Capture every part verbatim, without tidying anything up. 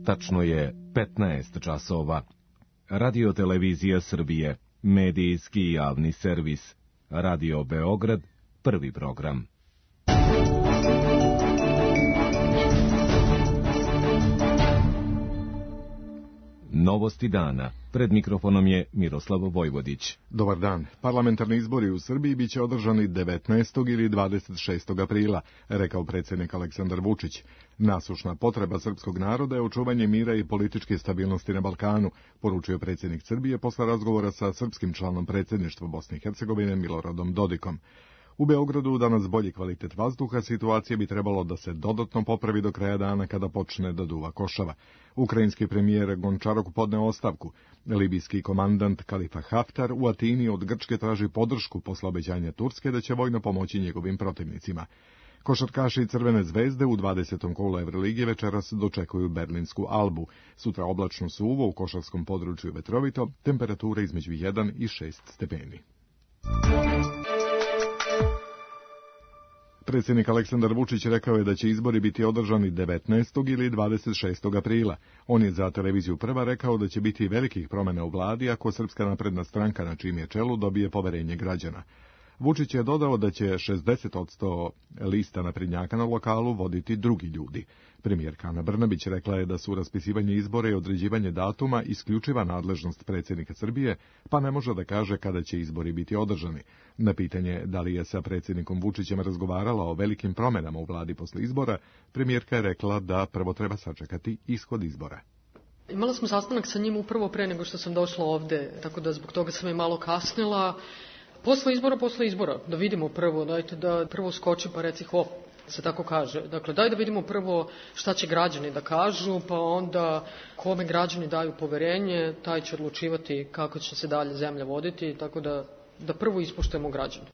Tačno je petnaest časova. Radio Televizija Srbije, medijski javni servis. Radio Beograd, prvi program. Novosti dana. Pred mikrofonom je Miroslav Vojvodić. Dobar dan. Parlamentarni izbori u Srbiji biće održani devetnaestog ili dvadeset šestog aprila, rekao predsjednik Aleksandar Vučić. Nasušna potreba srpskog naroda je očuvanje mira i političke stabilnosti na Balkanu, poručio predsjednik Srbije posle razgovora sa srpskim članom predsjedništva Bosne i Hercegovine Miloradom Dodikom. U Beogradu danas bolji kvalitet vazduha, situacija bi trebalo da se dodatno popravi do kraja dana kada počne da duva košava. Ukrajinski premijer Gončaruk podneo ostavku. Libijski komandant Kalifa Haftar u Atini od Grčke traži podršku posle obećanja Turske da će vojno pomoći njegovim protivnicima. Košarkaši Crvene zvezde u dvadesetom kolu Evrolige večeras dočekuju berlinsku Albu. Sutra oblačno suvo, u košarskom području vetrovito, temperatura između jedan i šest stepeni. Predsjednik Aleksandar Vučić rekao je da će izbori biti održani devetnaestog ili dvadeset šestog aprila. On je za televiziju Prva rekao da će biti velikih promjena u vladi ako Srpska napredna stranka na čijem je čelu dobije poverenje građana. Vučić je dodao da će šezdeset posto lista naprednjaka na lokalu voditi drugi ljudi. Premijerka Ana Brnabić rekla je da su raspisivanje izbora i određivanje datuma isključiva nadležnost predsjednika Srbije, pa ne može da kaže kada će izbori biti održani. Na pitanje da li je sa predsjednikom Vučićem razgovarala o velikim promjenama u vladi posle izbora, premijerka je rekla da prvo treba sačekati ishod izbora. Imala smo sastanak sa njim upravo pre nego što sam došla ovde, tako da zbog toga sam i malo kasnila. Posle izbora, posle izbora, da vidimo prvo, dajte da prvo skoči pa reci hop, se tako kaže. Dakle, daj da vidimo prvo šta će građani da kažu, pa onda kome građani daju poverenje, taj će odlučivati kako će se dalje zemlja voditi, tako da, da prvo ispoštujemo građane.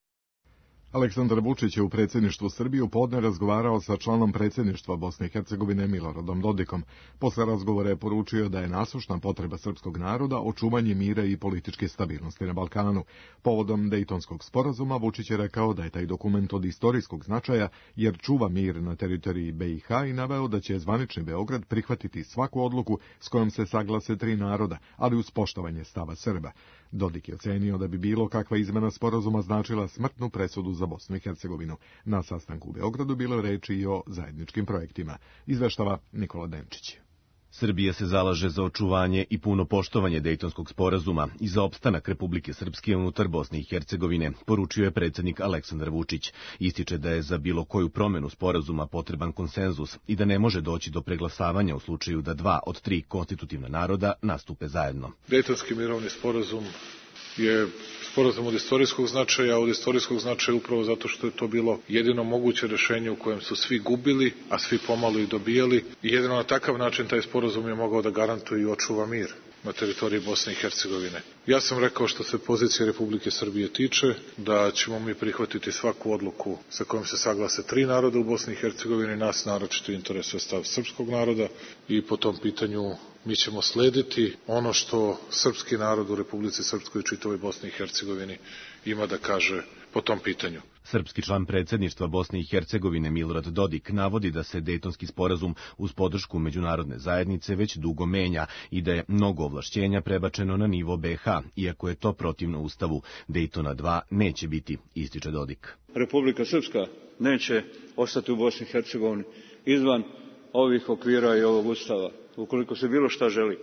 Aleksandar Vučić je u predsjedništvu Srbije u podne razgovarao sa članom predsjedništva Bosne i Hercegovine Miloradom Dodikom. Posle razgovora je poručio da je nasušna potreba srpskog naroda očuvanje mira i političke stabilnosti na Balkanu. Povodom Dejtonskog sporazuma Vučić je rekao da je taj dokument od istorijskog značaja jer čuva mir na teritoriji be i ha i naveo da će zvanični Beograd prihvatiti svaku odluku s kojom se saglase tri naroda, ali uz poštovanje stava Srba. Dodik je ocenio da bi bilo kakva izmena sporazuma značila smrtnu presudu za Bosnu i Hercegovinu. Na sastanku u Beogradu bilo reči i o zajedničkim projektima. Izveštava Nikola Denčić. Srbija se zalaže za očuvanje i puno poštovanje Dejtonskog sporazuma i za opstanak Republike Srpske unutar Bosne i Hercegovine, poručio je predsjednik Aleksandar Vučić. Ističe da je za bilo koju promjenu sporazuma potreban konsenzus i da ne može doći do preglasavanja u slučaju da dva od tri konstitutivna naroda nastupe zajedno. Dejtonski mirovni sporazum je sporazum od istorijskog značaja, od istorijskog značaja upravo zato što je to bilo jedino moguće rješenje u kojem su svi gubili, a svi pomalo i dobijali. I jedino na takav način taj sporazum je mogao da garantuje i očuva mir na teritoriji Bosne i Hercegovine. Ja sam rekao što se pozicije Republike Srbije tiče, da ćemo mi prihvatiti svaku odluku sa kojom se saglase tri naroda u Bosni i Hercegovini, nas naročito interesuje stav srpskog naroda i po tom pitanju mi ćemo slediti ono što srpski narod u Republici Srpskoj i čitavoj Bosni i Hercegovini ima da kaže po tom pitanju. Srpski član predsjedništva Bosne i Hercegovine Milorad Dodik navodi da se Dejtonski sporazum uz podršku međunarodne zajednice već dugo menja i da je mnogo ovlašćenja prebačeno na nivo be ha, iako je to protivno Ustavu. Dejtona dva neće biti, ističe Dodik. Republika Srpska neće ostati u Bosni i Hercegovini izvan ovih okvira i ovog Ustava, ukoliko se bilo šta želi.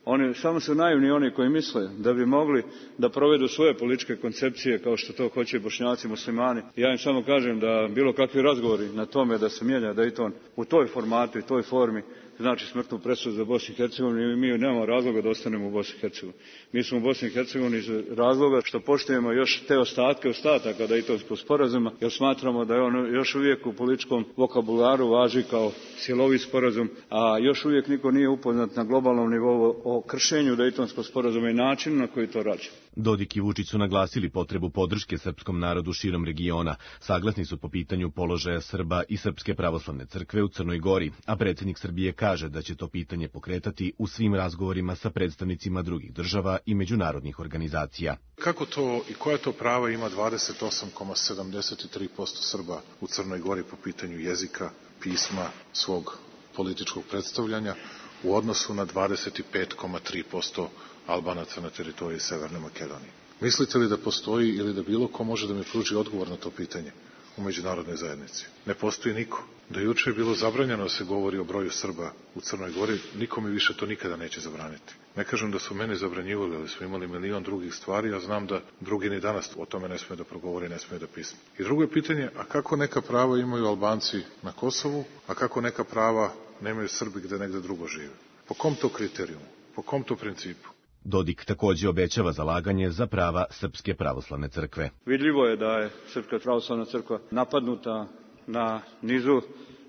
Oni samo su naivni oni koji misle da bi mogli da provedu svoje političke koncepcije kao što to hoće Bošnjaci, muslimani. Ja im samo kažem da bilo kakvi razgovori na tome da se mijenja Dejton u toj formatu i toj formi znači smrtnu presudu za Bosnu i Hercegovinu i mi nemamo razloga da ostanemo u Bosni i Hercegovini. Mi smo u Bosni i Hercegovini iz razloga što poštujemo još te ostatke ostataka Dejtonskog sporazuma, jer smatramo da je on još uvijek u političkom vokabularu važi kao cjelovit sporazum, a još uvijek niko nije upoznat na globalnom nivou o kršenju Dejtonskog sporazuma i načinu na koji to radi. Dodik i Vučić su naglasili potrebu podrške srpskom narodu širom regiona. Saglasni su po pitanju položaja Srba i Srpske pravoslavne crkve u Crnoj Gori, a predsjednik Srbije kaže da će to pitanje pokretati u svim razgovorima sa predstavnicima drugih država i međunarodnih organizacija. Kako to i koja to prava ima dvadeset osam zarez sedamdeset tri posto Srba u Crnoj Gori po pitanju jezika, pisma, svog političkog predstavljanja, u odnosu na dvadeset pet zarez tri posto Albanaca na teritoriji Severne Makedonije. Mislite li da postoji ili da bilo ko može da mi pruži odgovor na to pitanje u međunarodnoj zajednici? Ne postoji niko. Da juče je bilo zabranjeno da se govori o broju Srba u Crnoj Gori, niko mi više to nikada neće zabraniti. Ne kažem da su meni zabranjivali, ali smo imali milion drugih stvari, a znam da drugi ni danas o tome ne smije da progovori, ne smije da pisne. I drugo je pitanje, a kako neka prava imaju Albanci na Kosovu, a kako neka prava nemaju Srbi gde negde drugo žive? Po kom to kriterijumu? Po kom to principu? Dodik takođe obećava zalaganje za prava Srpske pravoslavne crkve. Vidljivo je da je Srpska pravoslavna crkva napadnuta na nizu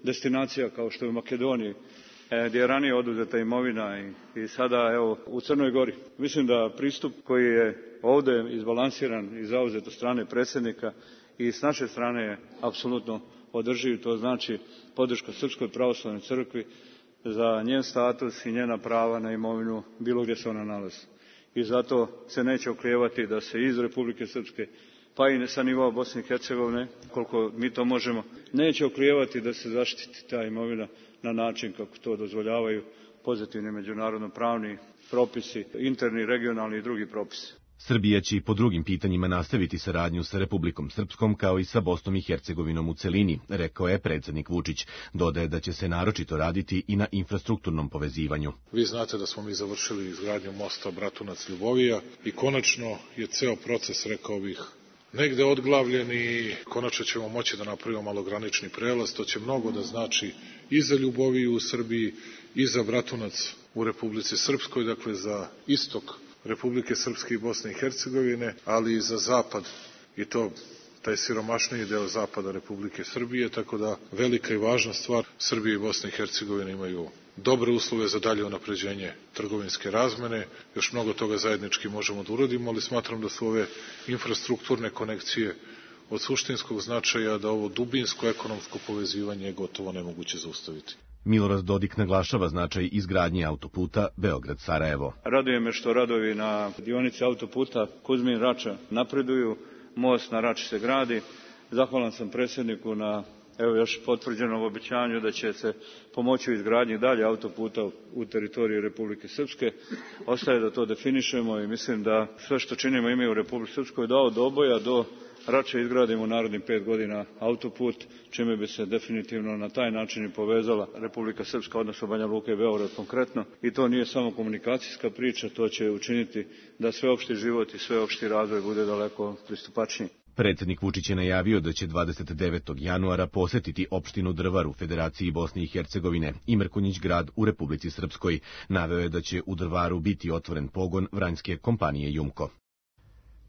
destinacija kao što je u Makedoniji, gdje je ranije oduzeta imovina i, i sada evo u Crnoj Gori. Mislim da pristup koji je ovde izbalansiran i zauzet od strane predsjednika i s naše strane je apsolutno održiv, to znači podrška Srpskoj pravoslavnoj crkvi za njen status i njena prava na imovinu bilo gdje se ona nalazi. I zato se neće oklijevati da se iz Republike Srpske, pa i sa nivoa Bosne i Hercegovine, koliko mi to možemo, neće oklijevati da se zaštiti ta imovina na način kako to dozvoljavaju pozitivni međunarodno pravni propisi, interni, regionalni i drugi propisi. Srbija će i po drugim pitanjima nastaviti saradnju sa Republikom Srpskom kao i sa Bosnom i Hercegovinom u celini, rekao je predsjednik Vučić. Dodaje da će se naročito raditi i na infrastrukturnom povezivanju. Vi znate da smo mi završili izgradnju mosta Bratunac-Ljubovija i konačno je ceo proces, rekao bih, negde odglavljen i konačno ćemo moći da napravimo malogranični prelaz. To će mnogo da znači i za Ljuboviju u Srbiji i za Bratunac u Republici Srpskoj, dakle za istok Republike Srpske i Bosne i Hercegovine, ali i za zapad, i to taj siromašniji deo zapada Republike Srbije, tako da velika i važna stvar, Srbija i Bosna i Hercegovina imaju dobre uslove za dalje unapređenje trgovinske razmene, još mnogo toga zajednički možemo da uradimo, ali smatram da su ove infrastrukturne konekcije od suštinskog značaja, da ovo dubinsko ekonomsko povezivanje je gotovo nemoguće zaustaviti. Milorad Dodik naglašava značaj izgradnje autoputa Beograd-Sarajevo. Raduje me što radovi na dionici autoputa Kuzmin-Rača napreduju, most na Rači se gradi. Zahvalan sam predsjedniku na evo još potvrđenom obećanju da će se pomoći u izgradnji dalje autoputa u teritoriji Republike Srpske. Ostaje da to definišemo i mislim da sve što činimo ime u Republike Srpskoj da od Oboja do Rače izgradimo u narednih pet godina autoput, čime bi se definitivno na taj način i povezala Republika Srpska, odnosno Banja Luka i Beograd konkretno. I to nije samo komunikacijska priča, to će učiniti da sveopšti život i sveopšti razvoj bude daleko pristupačniji. Predsjednik Vučić je najavio da će dvadeset devetog januara posetiti opštinu Drvar u Federaciji Bosne i Hercegovine i Mrkonjić grad u Republici Srpskoj. Naveo je da će u Drvaru biti otvoren pogon vranjske kompanije Jumko.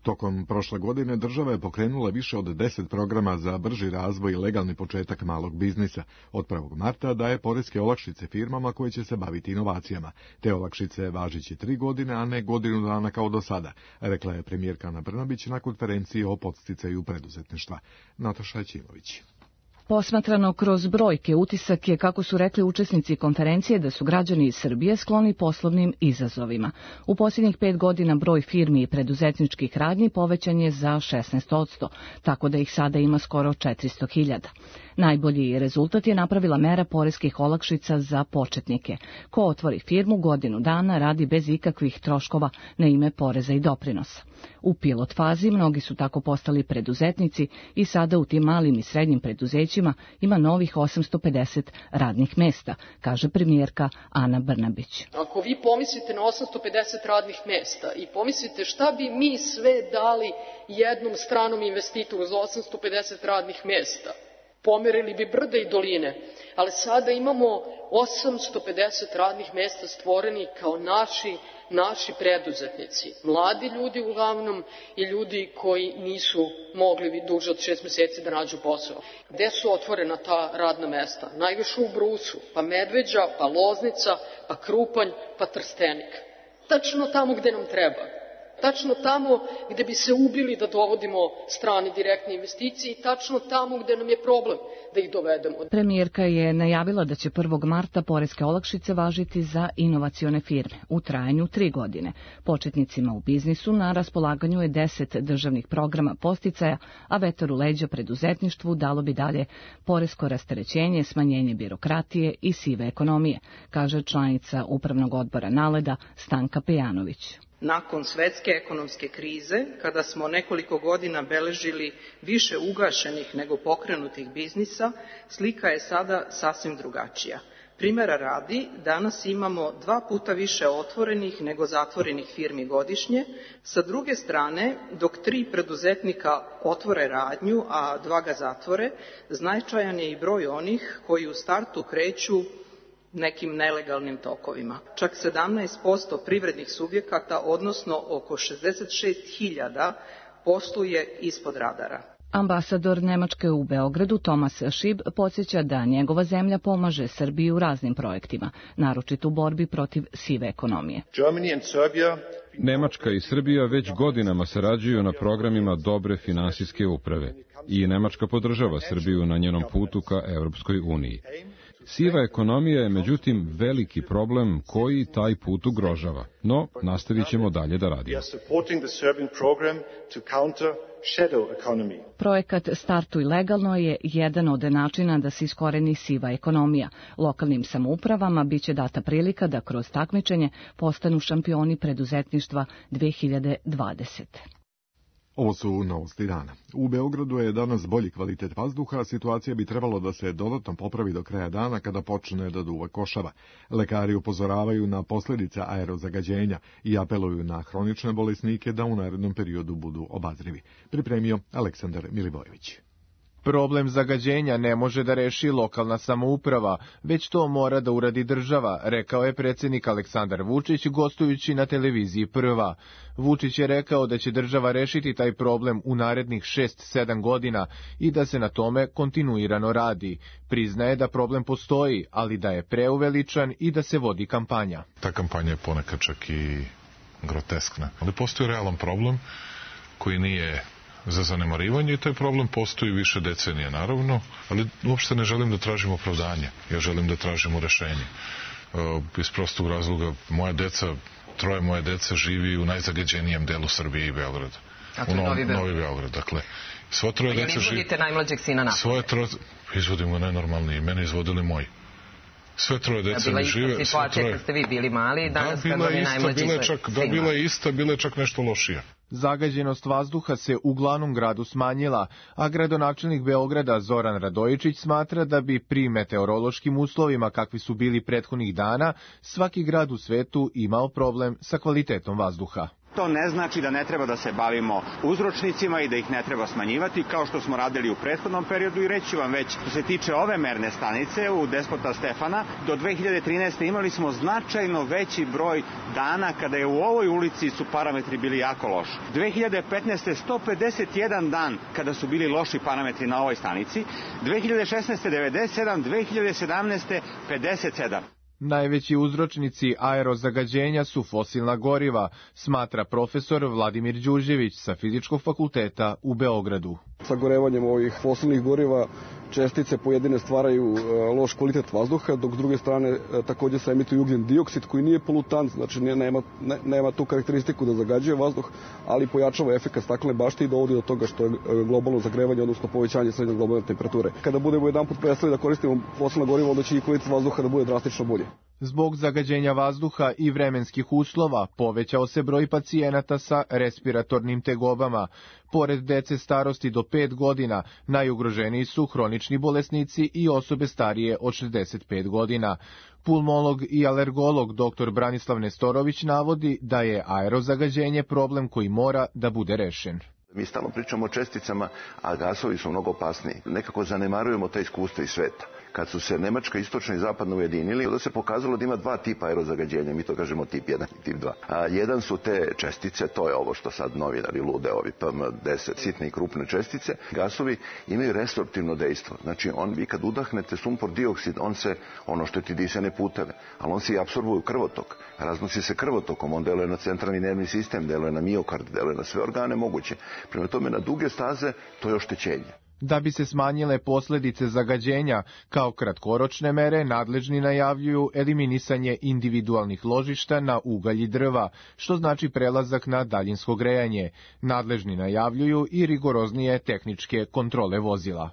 Tokom prošle godine država je pokrenula više od deset programa za brži razvoj i legalni početak malog biznisa. Od prvog marta daje poreske olakšice firmama koje će se baviti inovacijama. Te olakšice važiće tri godine, a ne godinu dana kao do sada, rekla je premijerka Ana Brnabić na konferenciji o podsticaju preduzetništva. Nataša Ćimović. Posmatrano kroz brojke, utisak je, kako su rekli učesnici konferencije, da su građani iz Srbije skloni poslovnim izazovima. U posljednjih pet godina broj firmi i preduzetničkih radnji povećan je za šesnaest posto, tako da ih sada ima skoro četiristo hiljada. Najbolji rezultat je napravila mera poreskih olakšica za početnike. Ko otvori firmu godinu dana radi bez ikakvih troškova na ime poreza i doprinosa. U pilot fazi mnogi su tako postali preduzetnici i sada u tim malim i srednjim preduzećima ima novih osamsto pedeset radnih mesta, kaže premijerka Ana Brnabić. Ako vi pomislite na osamsto pedeset radnih mesta i pomislite šta bi mi sve dali jednom stranom investitoru za osamsto pedeset radnih mesta, pomerili bi brda i doline, ali sada imamo osamsto pedeset radnih mesta stvoreni kao naši, naši preduzetnici. Mladi ljudi uglavnom i ljudi koji nisu mogli duže od šest meseci da nađu posao. Gde su otvorena ta radna mesta? Najviše u Brusu, pa Medveđa, pa Loznica, pa Krupanj, pa Trstenik. Tačno tamo gde nam treba. Tačno tamo gde bi se ubili da dovodimo strane direktne investicije i tačno tamo gde nam je problem da ih dovedemo. Premijerka je najavila da će prvog marta poreske olakšice važiti za inovacione firme u trajanju tri godine. Početnicima u biznisu na raspolaganju je deset državnih programa posticaja, a vetar u leđa preduzetništvu dalo bi dalje poresko rasterećenje, smanjenje birokratije i sive ekonomije, kaže članica Upravnog odbora Naleda Stanka Pejanović. Nakon svetske ekonomske krize, kada smo nekoliko godina beležili više ugašenih nego pokrenutih biznisa, slika je sada sasvim drugačija. Primera radi, danas imamo dva puta više otvorenih nego zatvorenih firmi godišnje. Sa druge strane, dok tri preduzetnika otvore radnju, a dva ga zatvore, značajan je i broj onih koji u startu kreću nekim nelegalnim tokovima. Čak sedamnaest posto privrednih subjekata, odnosno oko šezdeset šest hiljada, posluje ispod radara. Ambasador Nemačke u Beogradu Tomas Šib podsjeća da njegova zemlja pomaže Srbiji u raznim projektima, naročito u borbi protiv sive ekonomije. Nemačka i Srbija već godinama sarađuju na programima dobre finansijske uprave i Nemačka podržava Srbiju na njenom putu ka Europskoj uniji. Siva ekonomija je međutim veliki problem koji taj put ugrožava, no nastavit ćemo dalje da radimo. Projekat Startuj legalno je jedan od načina da se iskoreni siva ekonomija. Lokalnim samoupravama biće data prilika da kroz takmičenje postanu šampioni preduzetništva dve hiljade dvadesete. Ovo su novosti dana. U Beogradu je danas bolji kvalitet vazduha, a situacija bi trebalo da se dodatno popravi do kraja dana kada počne da duva košava. Lekari upozoravaju na posljedice aerozagađenja i apeluju na hronične bolesnike da u narednom periodu budu obazrivi. Pripremio Aleksandar Milivojević. Problem zagađenja ne može da reši lokalna samouprava, već to mora da uradi država, rekao je predsjednik Aleksandar Vučić gostujući na televiziji Prva. Vučić je rekao da će država rešiti taj problem u narednih šest sedam godina i da se na tome kontinuirano radi. Priznaje da problem postoji, ali da je preuveličan i da se vodi kampanja. Ta kampanja je ponekad čak i groteskna, ali postoji realan problem koji nije za zanemarivanje i taj problem postoji više decenija, naravno, ali uopšte ne želim da tražim opravdanje. Ja želim da tražimo rešenje. Iz prostog razloga, moja deca, troje moje deca živi u najzagađenijem delu Srbije i Beograda. A to je Novi Beograd. Novi Beograd, dakle. Sva troje deca živi... izvodite najmlađeg sina napolje? Svoje troje... Izvodim ga najnormalniji, mene izvodili moji. Sve troje deca mi žive... Bila ista situacija troje... kad ste vi bili mali, danas kad vam je najmlađi sin. Da, bila je ista, bila je čak nešto lošija. Zagađenost vazduha se u glavnom gradu smanjila, a gradonačelnik Beograda Zoran Radojičić smatra da bi pri meteorološkim uslovima kakvi su bili prethodnih dana, svaki grad u svetu imao problem sa kvalitetom vazduha. To ne znači da ne treba da se bavimo uzročnicima i da ih ne treba smanjivati, kao što smo radili u prethodnom periodu i reći vam već, što se tiče ove merne stanice u Despota Stefana, do dve hiljade trinaeste. imali smo značajno veći broj dana kada je u ovoj ulici su parametri bili jako loši. dve hiljade petnaeste. sto pedeset jedan dan kada su bili loši parametri na ovoj stanici, dve hiljade šesnaeste. devedeset sedam, dve hiljade sedamnaeste. pedeset sedam. Najveći uzročnici aerozagađenja su fosilna goriva, smatra profesor Vladimir Đurđević sa Fizičkog fakulteta u Beogradu. Sagorevanjem ovih fosilnih goriva čestice pojedine stvaraju loš kvalitet vazduha, dok s druge strane također se emituje ugljen dioksid koji nije polutant, znači nema, ne, nema tu karakteristiku da zagađuje vazduh, ali pojačava efekat staklene bašte i dovodi do toga što je globalno zagrevanje, odnosno povećanje srednje globalne temperature. Kada budemo jedanput prestali da koristimo fosilna goriva, onda će i kvalitet vazduha da bude drastično bolje. Zbog zagađenja vazduha i vremenskih uslova povećao se broj pacijenata sa respiratornim tegobama. Pored dece starosti do pet godina, najugroženiji su hronični bolesnici i osobe starije od šezdeset pet godina. Pulmolog i alergolog dr Branislav Nestorović navodi da je aerozagađenje problem koji mora da bude rešen. Mi stalno pričamo o česticama, a gasovi su mnogo opasniji. Nekako zanemarujemo ta iskustva iz sveta. kad su se Nemačka, istočna i zapadna ujedinili, onda se pokazalo da ima dva tipa aerozagađenja, mi to kažemo tip jedan i tip dva. A jedan su te čestice, to je ovo što sad novinari lude, ovi P M deset, sitne i krupne čestice. Gasovi imaju resorptivno dejstvo. Znači, on, vi kad udahnete sumpor dioksid, on se, ono što ti disane puteve, ali on se i apsorbuje u krvotok. Raznosi se krvotokom, on deluje na centralni nervni sistem, deluje na miokard, deluje na sve organe moguće. Prema tome, na duge staze to je oštećenje. Da bi se smanjile posljedice zagađenja, kao kratkoročne mere, nadležni najavljuju eliminisanje individualnih ložišta na ugalj i drva, što znači prelazak na daljinsko grejanje. Nadležni najavljuju i rigoroznije tehničke kontrole vozila.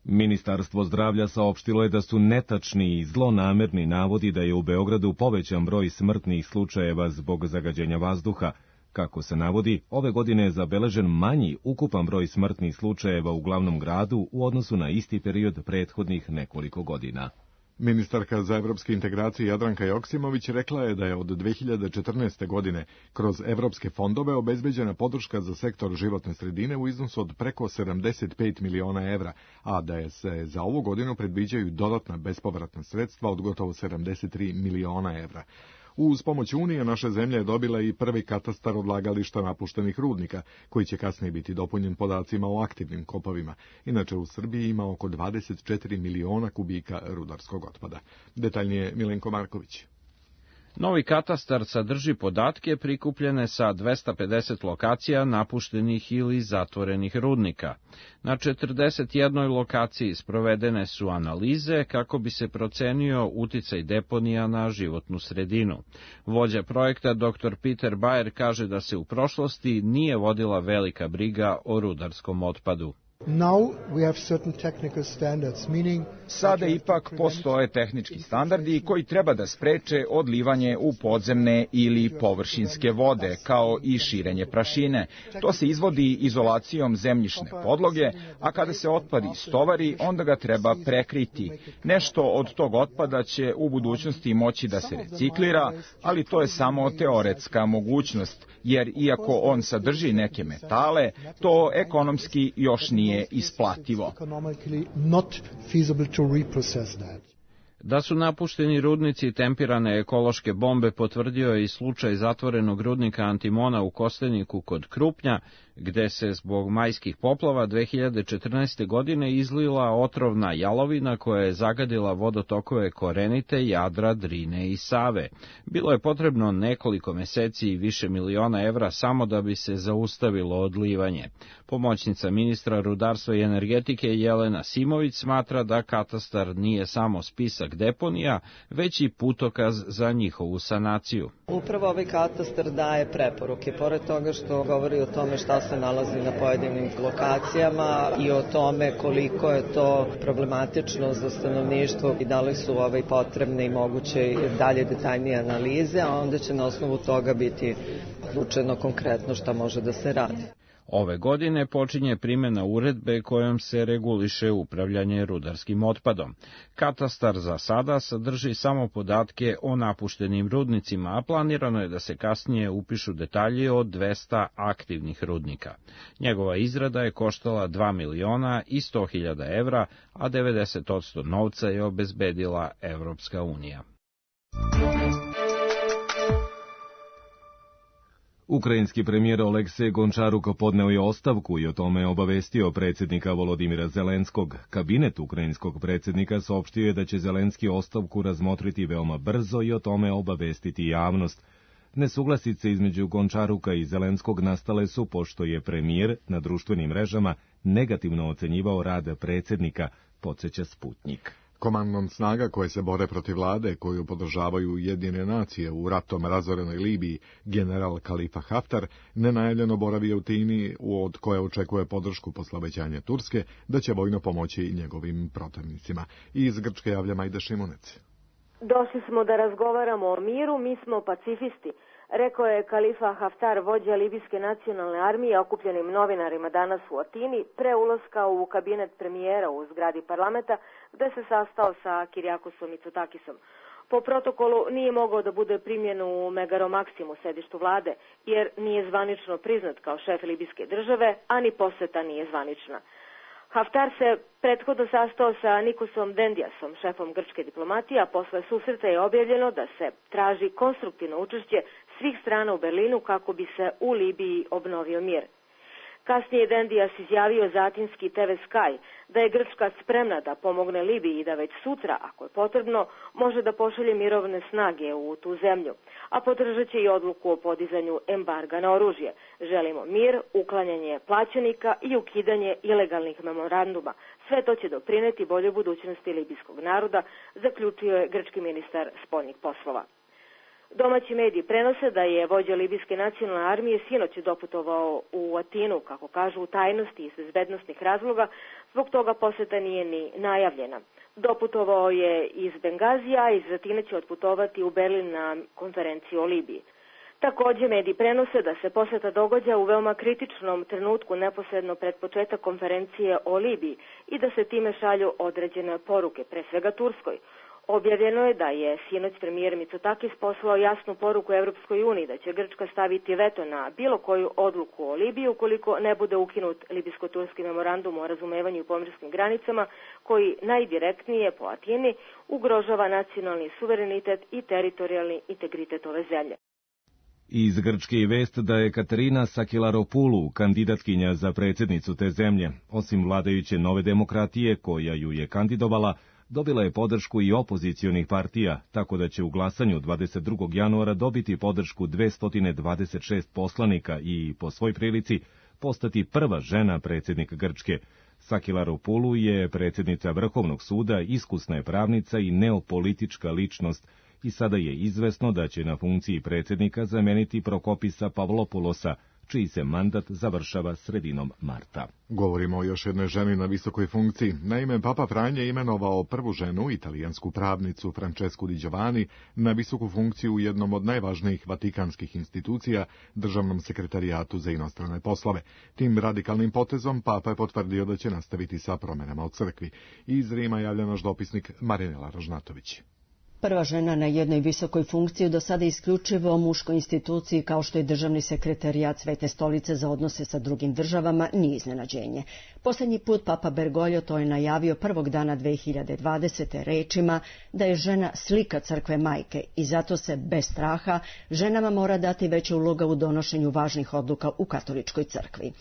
Ministarstvo zdravlja saopštilo je da su netačni i zlonamerni navodi da je u Beogradu povećan broj smrtnih slučajeva zbog zagađenja vazduha. Kako se navodi, ove godine je zabeležen manji ukupan broj smrtnih slučajeva u glavnom gradu u odnosu na isti period prethodnih nekoliko godina. Ministarka za evropske integracije Jadranka Joksimović rekla je da je od dve hiljade četrnaeste. godine kroz evropske fondove obezbeđena podrška za sektor životne sredine u iznosu od preko sedamdeset pet miliona evra, a da je se za ovu godinu predviđaju dodatna bespovratna sredstva od gotovo sedamdeset tri miliona evra. Uz pomoć Unije naša zemlja je dobila i prvi katastar odlagališta napuštenih rudnika, koji će kasnije biti dopunjen podacima o aktivnim kopovima. Inače, u Srbiji ima oko dvadeset četiri miliona kubika rudarskog otpada. Detaljnije Milenko Marković. Novi katastar sadrži podatke prikupljene sa dvesta pedeset lokacija napuštenih ili zatvorenih rudnika. Na četrdeset jednoj lokaciji sprovedene su analize kako bi se procenio uticaj deponija na životnu sredinu. Vođa projekta dr Peter Bayer kaže da se u prošlosti nije vodila velika briga o rudarskom otpadu. Sada ipak postoje tehnički standardi koji treba da spreče odlivanje u podzemne ili površinske vode, kao i širenje prašine. To se izvodi izolacijom zemljišne podloge, a kada se otpad istovari, onda ga treba prekriti. Nešto od tog otpada će u budućnosti moći da se reciklira, ali to je samo teoretska mogućnost, jer iako on sadrži neke metale, to ekonomski još nije isplativo. Da su napušteni rudnici tempirane ekološke bombe potvrdio je i slučaj zatvorenog rudnika antimona u Kosteniku kod Krupnja, gde se zbog majskih poplava dve hiljade četrnaeste. godine izlila otrovna jalovina koja je zagadila vodotokove Korenite, Jadra, Drine i Save. Bilo je potrebno nekoliko meseci i više miliona evra samo da bi se zaustavilo odlivanje. Pomoćnica ministra rudarstva i energetike Jelena Simović smatra da katastar nije samo spisak deponija, već i putokaz za njihovu sanaciju. Upravo ovaj katastar daje preporuke, pored toga što govori o tome šta se nalazi na pojedinim lokacijama i o tome koliko je to problematično za stanovništvo i da li su ovaj potrebne i moguće dalje detaljnije analize, a onda će na osnovu toga biti odlučeno konkretno šta može da se radi. Ove godine počinje primjena uredbe kojom se reguliše upravljanje rudarskim otpadom. Katastar za sada sadrži samo podatke o napuštenim rudnicima, a planirano je da se kasnije upišu detalji o dvesta aktivnih rudnika. Njegova izrada je koštala dva miliona i sto hiljada evra, a devedeset posto novca je obezbedila Evropska unija. Ukrajinski premijer Oleksej Gončaruk podneo je ostavku i o tome je obavestio predsjednika Volodimira Zelenskog. Kabinet ukrajinskog predsjednika saopštio je da će Zelenski ostavku razmotriti veoma brzo i o tome obavestiti javnost. Nesuglasice između Gončaruka i Zelenskog nastale su pošto je premijer na društvenim mrežama negativno ocenjivao rad predsjednika, podsjeća Sputnjik. Komandant snaga koje se bore protiv vlade, koju podržavaju Ujedinjene nacije u ratom razorenoj Libiji, general Kalifa Haftar, nenajavljeno boravi u Tini, od koje očekuje podršku posle obećanja Turske, da će vojno pomoći njegovim protivnicima. Iz Grčke javlja Majda Šimunec. Došli smo da razgovaramo o miru, mi smo pacifisti, rekao je Kalifa Haftar, vođa Libijske nacionalne armije, okupljenim novinarima danas u Atini, pre ulaska u kabinet premijera u zgradi parlamenta, gde se sastao sa Kirijakosom Mitsotakisom. Po protokolu nije mogao da bude primljen u Megaromaksimu, sedištu vlade, jer nije zvanično priznat kao šef libijske države, a ni poseta nije zvanična. Haftar se prethodno sastao sa Nikosom Dendiasom, šefom grčke diplomatije, a posle susreta je objavljeno da se traži konstruktivno učešće svih strana u Berlinu kako bi se u Libiji obnovio mir. Kasnije je Dendias izjavio za atinski te ve Sky da je Grčka spremna da pomogne Libiji i da već sutra, ako je potrebno, može da pošalje mirovne snage u tu zemlju, a podržat će i odluku o podizanju embarga na oružje. Želimo mir, uklanjanje plaćenika i ukidanje ilegalnih memoranduma. Sve to će doprineti boljoj budućnosti libijskog naroda, zaključio je grčki ministar spoljnih poslova. Domaći mediji prenose da je vođa libijske nacionalne armije sinoć doputovao u Atinu, kako kažu, u tajnosti iz bezbednostnih razloga, zbog toga poseta nije ni najavljena. Doputovao je iz Bengazija, a iz Atine će otputovati u Berlin na konferenciju o Libiji. Takođe, mediji prenose da se poseta događa u veoma kritičnom trenutku neposredno pred početak konferencije o Libiji i da se time šalju određene poruke, pre svega Turskoj. Objavljeno je da je sinoć premijer Mitsotakis poslao jasnu poruku Evropskoj uniji da će Grčka staviti veto na bilo koju odluku o Libiji ukoliko ne bude ukinut libijsko-turski memorandum o razumevanju i pomorskim granicama koji najdirektnije po Atini ugrožava nacionalni suverenitet i teritorijalni integritet ove zemlje. Iz Grčke je vest da je Katerina Sakilaropoulou kandidatkinja za predsjednicu te zemlje. Osim vladajuće Nove demokratije, koja ju je kandidovala, dobila je podršku i opozicionih partija, tako da će u glasanju dvadeset drugog januara dobiti podršku dvesta dvadeset šest poslanika i, po svoj prilici, postati prva žena predsjednik Grčke. Sakilaropoulou je predsjednica Vrhovnog suda, iskusna je pravnica i neopolitička ličnost, i sada je izvesno da će na funkciji predsjednika zameniti Prokopisa Pavlopoulosa, čiji se mandat završava sredinom marta. Govorimo o još jednoj ženi na visokoj funkciji. Naime, Papa Franje je imenovao prvu ženu, italijansku pravnicu Francesku Di Giovanni, na visoku funkciju u jednom od najvažnijih vatikanskih institucija, Državnom sekretarijatu za inostrane poslove. Tim radikalnim potezom Papa je potvrdio da će nastaviti sa promjenama u crkvi. Iz Rima javlja naš dopisnik Marinela Ražnatović. Prva žena na jednoj visokoj funkciji do sada isključivo muškoj instituciji kao što je Državni sekretarijat Svete stolice za odnose sa drugim državama nije iznenađenje. Posljednji put Papa Bergoglio to je najavio prvog dana dve hiljade dvadesete rečima da je žena slika crkve majke i zato se bez straha ženama mora dati veća uloga u donošenju važnih odluka u katoličkoj crkvi.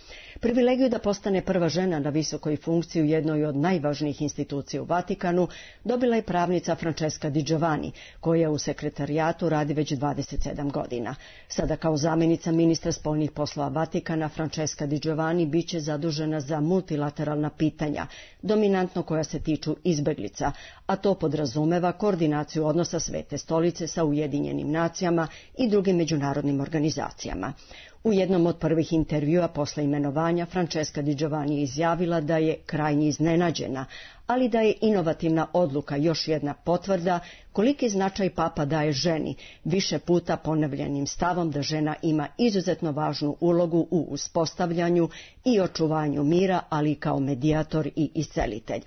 Privilegiju da postane prva žena na visokoj funkciji u jednoj od najvažnijih institucija u Vatikanu dobila je pravnica Francesca Di Giovanni, koja u sekretarijatu radi već dvadeset sedam godina. Sada kao zamjenica ministra spoljnih poslova Vatikana Francesca Di Giovanni biće zadužena za multilateralna pitanja, dominantno koja se tiču izbeglica, a to podrazumeva koordinaciju odnosa Svete stolice sa Ujedinjenim nacijama i drugim međunarodnim organizacijama. U jednom od prvih intervjua posle imenovanja Francesca Di Giovanni je izjavila da je krajnje iznenađena, ali da je inovativna odluka još jedna potvrda koliki značaj Papa daje ženi, više puta ponavljanim stavom da žena ima izuzetno važnu ulogu u uspostavljanju i očuvanju mira, ali i kao medijator i iscelitelj.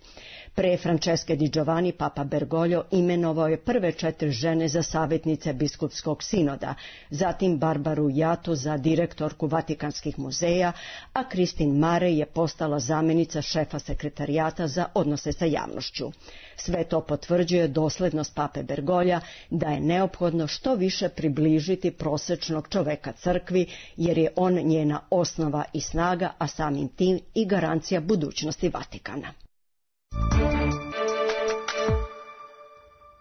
Pre Francesche Di Giovanni Papa Bergoglio imenovao je prve četiri žene za savjetnice biskupskog sinoda, zatim Barbaru Jatu za direktorku Vatikanskih muzeja, a Christine Mare je postala zamjenica šefa sekretarijata za odnose sa javnošću. Sve to potvrđuje doslednost Pape Bergoglja da je neophodno što više približiti prosečnog čoveka crkvi, jer je on njena osnova i snaga, a samim tim i garancija budućnosti Vatikana.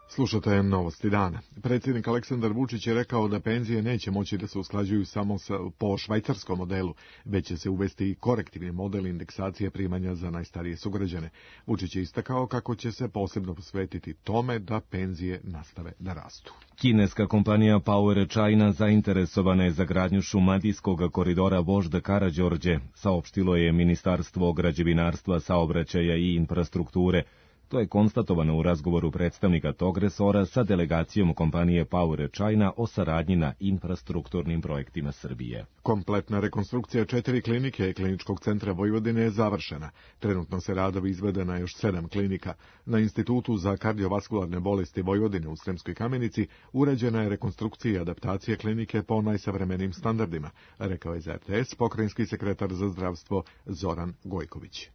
Slušate Novosti dana. Predsjednik Aleksandar Vučić je rekao da penzije neće moći da se usklađuju samo sa, po švajcarskom modelu, već će se uvesti i korektivni model indeksacije primanja za najstarije sugrađane. Vučić je istakao kako će se posebno posvetiti tome da penzije nastave da rastu. Kineska kompanija Power China zainteresovana je za gradnju šumadijskog koridora Vožd Karađorđe, saopštilo je Ministarstvo građevinarstva, saobraćaja i infrastrukture. To je konstatovano u razgovoru predstavnika tog resora sa delegacijom kompanije Power China o saradnji na infrastrukturnim projektima Srbije. Kompletna rekonstrukcija četiri klinike Kliničkog centra Vojvodine je završena. Trenutno se radovi izvode na još sedam klinika. Na Institutu za kardiovaskularne bolesti Vojvodine u Sremskoj Kamenici urađena je rekonstrukcija i adaptacija klinike po najsavremenijim standardima, rekao je za er te es pokrajinski sekretar za zdravstvo Zoran Gojković.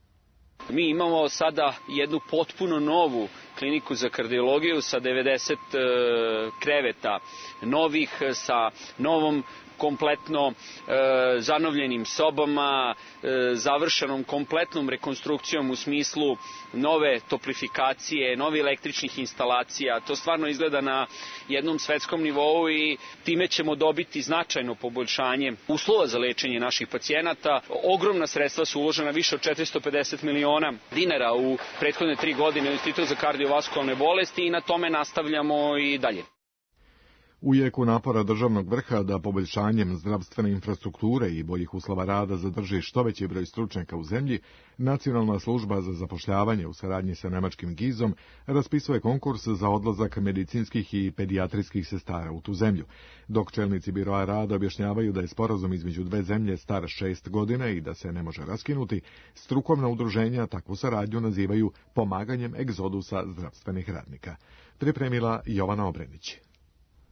Mi imamo sada jednu potpuno novu kliniku za kardiologiju sa devedeset kreveta novih, sa novom kompletno e, zanovljenim sobama, e, završenom kompletnom rekonstrukcijom u smislu nove toplifikacije, nove električnih instalacija. To stvarno izgleda na jednom svetskom nivou i time ćemo dobiti značajno poboljšanje uslova za lečenje naših pacijenata. Ogromna sredstva su uložena, više od četiristo pedeset miliona dinara u prethodne tri godine u Institut za kardiovaskularne bolesti i na tome nastavljamo i dalje. U jeku napora državnog vrha da poboljšanjem zdravstvene infrastrukture i boljih uslova rada zadrži što veći broj stručnjaka u zemlji, Nacionalna služba za zapošljavanje u saradnji sa nemačkim gizom raspisuje konkurs za odlazak medicinskih i pedijatrijskih sestara u tu zemlju, dok čelnici biroa rada objašnjavaju da je sporazum između dve zemlje star šest godina i da se ne može raskinuti, strukovna udruženja takvu saradnju nazivaju pomaganjem egzodusa zdravstvenih radnika. Pripremila Jovana Obrenić.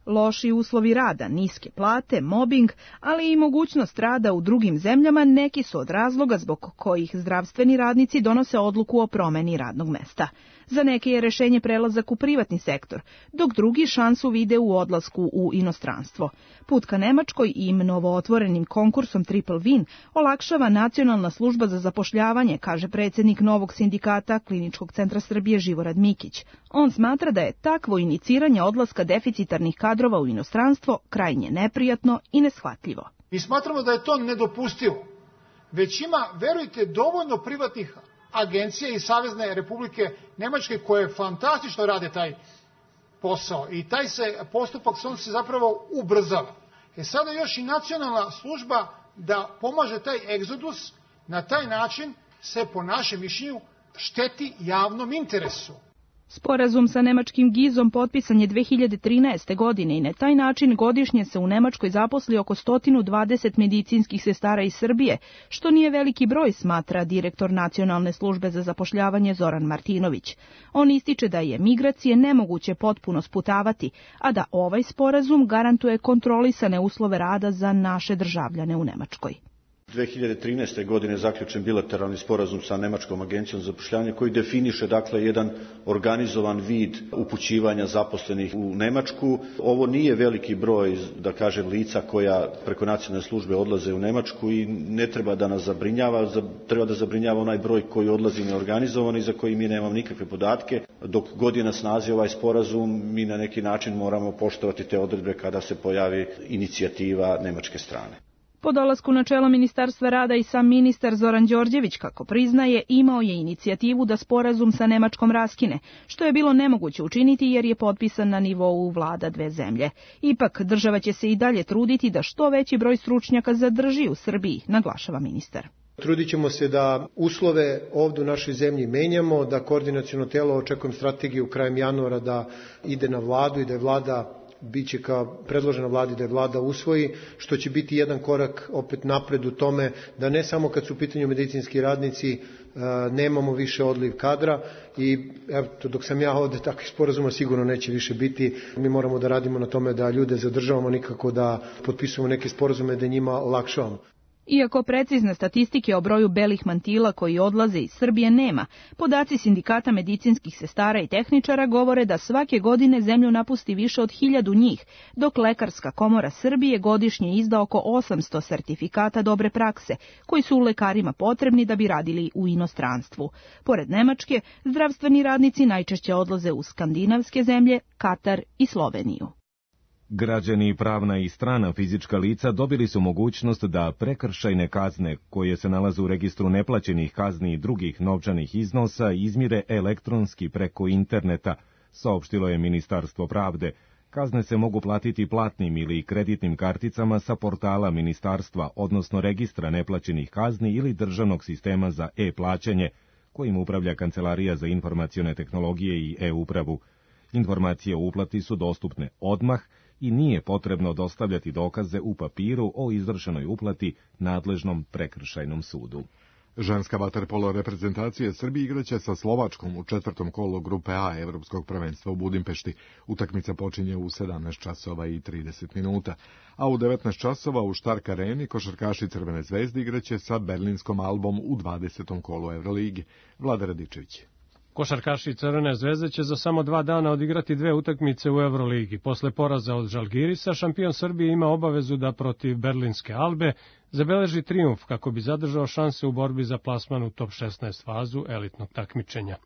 Loši uslovi rada, niske plate, mobing, ali i mogućnost rada u drugim zemljama neki su od razloga zbog kojih zdravstveni radnici donose odluku o promeni radnog mesta. Za neke je rešenje prelazak u privatni sektor, dok drugi šansu vide u odlasku u inostranstvo. Put ka Nemačkoj i novootvorenim konkursom Triple Win olakšava Nacionalna služba za zapošljavanje, kaže predsjednik novog sindikata Kliničkog centra Srbije Živorad Mikić. On smatra da je takvo iniciranje odlaska deficitarnih kadrova u inostranstvo krajnje neprijatno i neshvatljivo. Mi smatramo da je to nedopustivo. Već ima, verujte, dovoljno privatnih agencije i Savezne Republike Nemačke koje fantastično rade taj posao i taj se postupak on se zapravo ubrzava. E sada još i nacionalna služba da pomaže taj egzodus, na taj način se po našem mišljenju šteti javnom interesu. Sporazum sa nemačkim gizom potpisan je dve hiljade trinaeste. godine i na taj način godišnje se u Nemačkoj zaposli oko sto dvadeset medicinskih sestara iz Srbije, što nije veliki broj, smatra direktor Nacionalne službe za zapošljavanje Zoran Martinović. On ističe da je migracije nemoguće potpuno sputavati, a da ovaj sporazum garantuje kontrolisane uslove rada za naše državljane u Nemačkoj. dve hiljade trinaeste. godine zaključen bilateralni sporazum sa Nemačkom agencijom za zapošljavanje koji definiše dakle jedan organizovan vid upućivanja zaposlenih u Nemačku. Ovo nije veliki broj, da kažem, lica koja preko nacionalne službe odlaze u Nemačku i ne treba da nas zabrinjava, treba da zabrinjava onaj broj koji odlazi neorganizovan i za koji mi nemamo nikakve podatke. Dok god je na snazi ovaj sporazum, mi na neki način moramo poštovati te odredbe kada se pojavi inicijativa nemačke strane. Po dolasku na čelo Ministarstva rada i sam ministar Zoran Đorđević, kako priznaje, imao je inicijativu da sporazum sa Nemačkom raskine, što je bilo nemoguće učiniti jer je potpisan na nivou vlada dve zemlje. Ipak, država će se i dalje truditi da što veći broj stručnjaka zadrži u Srbiji, naglašava ministar. Trudit ćemo se da uslove ovdje u našoj zemlji menjamo, da koordinaciono telo, očekujem strategiju krajem januara da ide na vladu i da je vlada biće kao predložena vladi da je vlada usvoji, što će biti jedan korak opet napred u tome da ne samo kad su u pitanju medicinski radnici nemamo više odliv kadra i evo, dok sam ja ovdje takvih sporazuma sigurno neće više biti. Mi moramo da radimo na tome da ljude zadržavamo, nikako da potpisujemo neke sporazume da njima olakšavamo. Iako precizne statistike o broju belih mantila koji odlaze iz Srbije nema, podaci sindikata medicinskih sestara i tehničara govore da svake godine zemlju napusti više od hiljadu njih, dok Lekarska komora Srbije godišnje izda oko osamsto sertifikata dobre prakse, koji su lekarima potrebni da bi radili u inostranstvu. Pored Nemačke, zdravstveni radnici najčešće odlaze u skandinavske zemlje, Katar i Sloveniju. Građani, pravna i strana fizička lica dobili su mogućnost da prekršajne kazne, koje se nalaze u registru neplaćenih kazni i drugih novčanih iznosa, izmire elektronski preko interneta, saopštilo je Ministarstvo pravde. Kazne se mogu platiti platnim ili kreditnim karticama sa portala ministarstva, odnosno registra neplaćenih kazni ili državnog sistema za e-plaćanje, kojim upravlja Kancelarija za informacione tehnologije i e-upravu. Informacije o uplati su dostupne odmah i nije potrebno dostavljati dokaze u papiru o izvršenoj uplati nadležnom prekršajnom sudu. Ženska vaterpolo reprezentacija Srbije igraće sa Slovačkom u četvrtom kolu grupe A Evropskog prvenstva u Budimpešti. Utakmica počinje u sedamnaest časova i trideset minuta, a u devetnaest časova u Štark areni košarkaši Crvene zvezde igraće sa Berlinskom Albom u dvadesetom kolu Evroligi. Vlada Radičević. Košarkaši Crvene zvezde će za samo dva dana odigrati dve utakmice u Evroligi. Posle poraza od Žalgirisa, šampion Srbije ima obavezu da protiv Berlinske Albe zabeleži trijumf kako bi zadržao šanse u borbi za plasman u top šesnaest fazu elitnog takmičenja.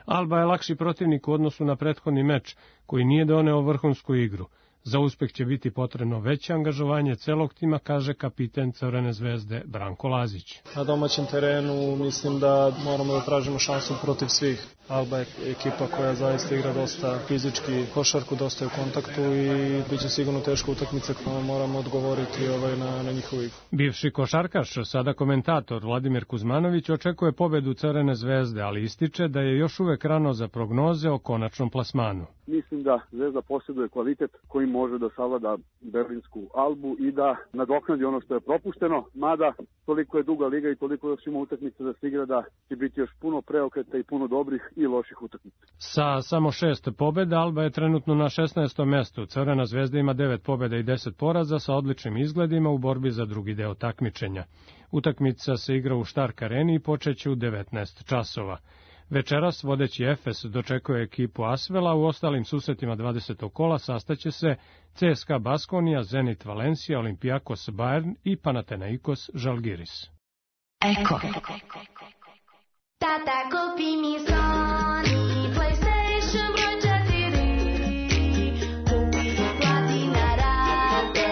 Alba je lakši protivnik u odnosu na prethodni meč, koji nije doneo vrhunsku igru. Za uspeh će biti potrebno veće angažovanje celog tima, kaže kapiten Crvene zvezde Branko Lazić. Na domaćem terenu mislim da moramo da tražimo šansu protiv svih. Alba je ekipa koja zaista igra dosta fizički košarku, dosta je u kontaktu i bit će sigurno teška utakmica koja moramo odgovoriti ovaj na, na njihovu igru. Bivši košarkaš, sada komentator Vladimir Kuzmanović očekuje pobedu Crvene zvezde, ali ističe da je još uvek rano za prognoze o konačnom plasmanu. Mislim da Zvezda posjeduje kvalitet koji može da savlada Berlinsku Albu i da nadoknadi ono što je propušteno, mada toliko je duga liga i toliko još ima utakmica da se igra da će biti još puno preokreta i puno dobrih i loših utakmica. Sa samo šest pobjeda Alba je trenutno na šesnaestom mestu. Crvena zvezda ima devet pobjeda i deset poraza sa odličnim izgledima u borbi za drugi deo takmičenja. Utakmica se igra u Štark areni i počeće u devetnaest časova. Večeras vodeći Efes dočekuje ekipu Asvela, u ostalim susretima dvadesetog kola sastaće se C S K A Baskonija, Zenit Valencija, Olimpijakos Bayern i Panathinaikos Žalgiris. Eko. Tata, kupi mi Sony PlayStation broj četiri. Kupi i plati na rate,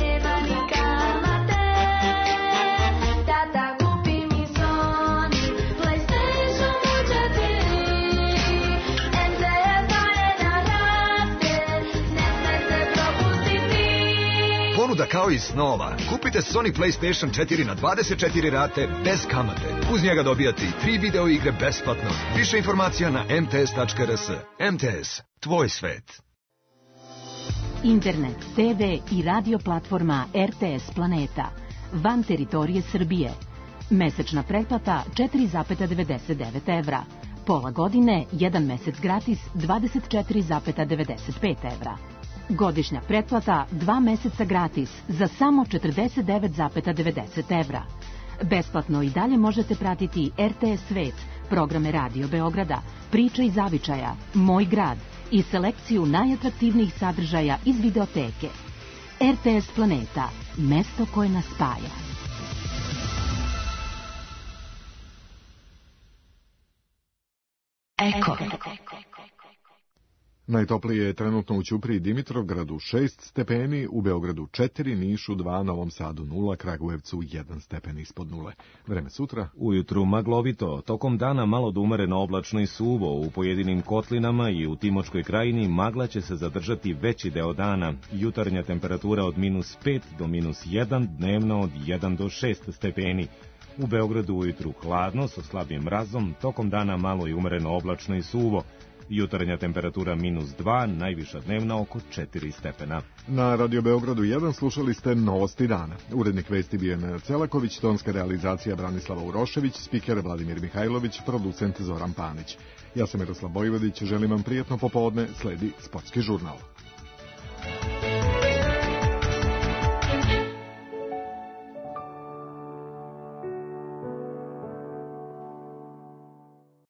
nema ni kamate. Tata, kupi mi Sony PlayStation broj četiri. M T S daje na rate, ne sme se propustiti. Ponuda kao iz snova. Kupite Sony PlayStation četiri na dvadeset četiri rate bez kamate. Uz njega dobijate i tri video igre besplatno. Više informacija na em te es tačka er es. M T S, tvoj svet. Internet, te ve i radio platforma er te es Planeta. Van teritorije Srbije. Mesečna pretplata četiri zarez devedeset devet evra. Pola godine, jedan mesec gratis dvadeset četiri zarez devedeset pet evra. Godišnja pretplata dva meseca gratis za samo četrdeset devet zarez devedeset evra. Besplatno i dalje možete pratiti er te es Svet, programe Radio Beograda, Priče iz zavičaja, Moj grad i selekciju najatraktivnijih sadržaja iz videoteke. er te es Planeta, mesto koje nas spaja. Eko. Najtoplije je trenutno u Ćupriji i Dimitrovgradu šest stepeni, u Beogradu četiri, Nišu dva, Novom Sadu nula, Kragujevcu jedan stepen ispod nule. Vreme sutra. Ujutru maglovito, tokom dana malo do umereno oblačno i suvo, u pojedinim kotlinama i u Timočkoj krajini magla će se zadržati veći deo dana. Jutarnja temperatura od minus pet do minus jedan, dnevno od jedan do šest stepeni. U Beogradu ujutru hladno sa slabim mrazom, tokom dana malo i umereno oblačno i suvo. Jutarnja temperatura minus dva, najviša dnevna oko četiri stepena. Na Radio Beogradu jedan slušali ste Novosti dana. Urednik vesti bio je Nenad Celaković, tonska realizacija Branislava Urošević, spiker Vladimir Mihajlović, producent Zoran Panić. Ja sam Miroslav Bojvodić, želim vam prijatno popodne, sledi Sportski žurnal.